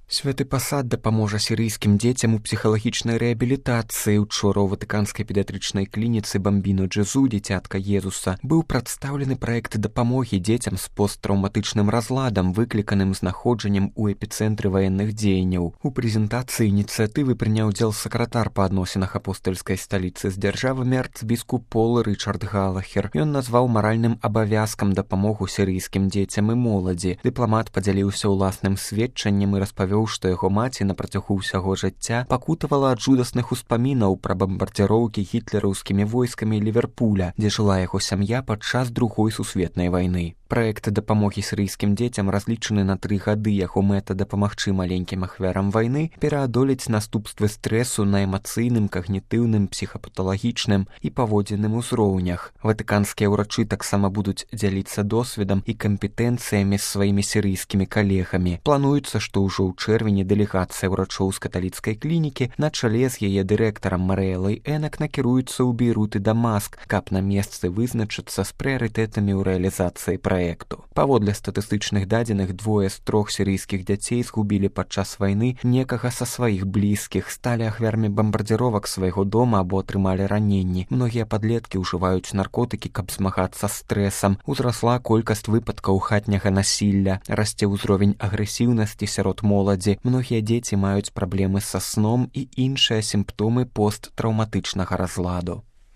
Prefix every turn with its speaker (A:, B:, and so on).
A: Святы пасад дапаможа сірыйскім дзецям у псіхалагічнай рэабілітацыі. Учора ў ватыканскай педыятрычнай клініцы Бамбіно Джезу, дзіцятка Езуса, быў прадстаўлены праект дапамогі дзецям з посттраўматычным разладам, выкліканым знаходжаннем у эпіцэнтры ваенных дзеянняў. У прэзентацыі ініцыятывы прыняў удзел сакратар па адносінах апостальскай сталіцы з дзяржавамі арцбіскуп Пол Рычард Галахер. Ён назваў маральным абавязкам дапамогу сірыйскім дзецям і моладзі. Дыпламат падзяліўся ўласным сведчаннем і распавёў, што яго маці на працягу ўсяго жыцця пакутавала ад жудасных успамінаў пра бамбардзіроўкі гітлераўскімі войскамі Ліверпуля, дзе жыла яго сям'я падчас Другой сусветнай вайны. Праект дапамогі сірыйскім дзецям разлічаны на 3 гады. Яго мэта дапамагчы маленькім ахвярам вайны пераадолець наступствы стрэсу на эмацыйным, кагнітыўным, псіхапаталагічным і паводзінным узроўнях. Ватыканскія ўрачы таксама будуць дзяліцца досведам і кампетэнцыямі з сваімі сірыйскімі калегамі. Плануецца, што ўжо ў чэрвені дэлегацыя ўрачоў з каталіцкай клінікі на чале з яе дырэктарам Марыэлай Энак накіруецца ў Бейрут і Дамаск, каб на месцы вызначыцца з прыярытэтамі ў рэалізацыі праекту. Паводле статыстычных дадзеных, 2 з 3 сірыйскіх дзяцей згубілі падчас вайны некага са сваіх блізкіх, сталі ахвярамі бамбардзіровак свайго дома або атрымалі раненні. Многія падлеткі ўжываюць наркотыкі, каб змагацца з стрэсам. Узрасла колькасць выпадкаў хатняга насілля, расце ўзровень агрэсіўнасці сярод моладзі. Многія дзеці маюць праблемы са сном і іншыя сімптомы посттраўматычнага разладу.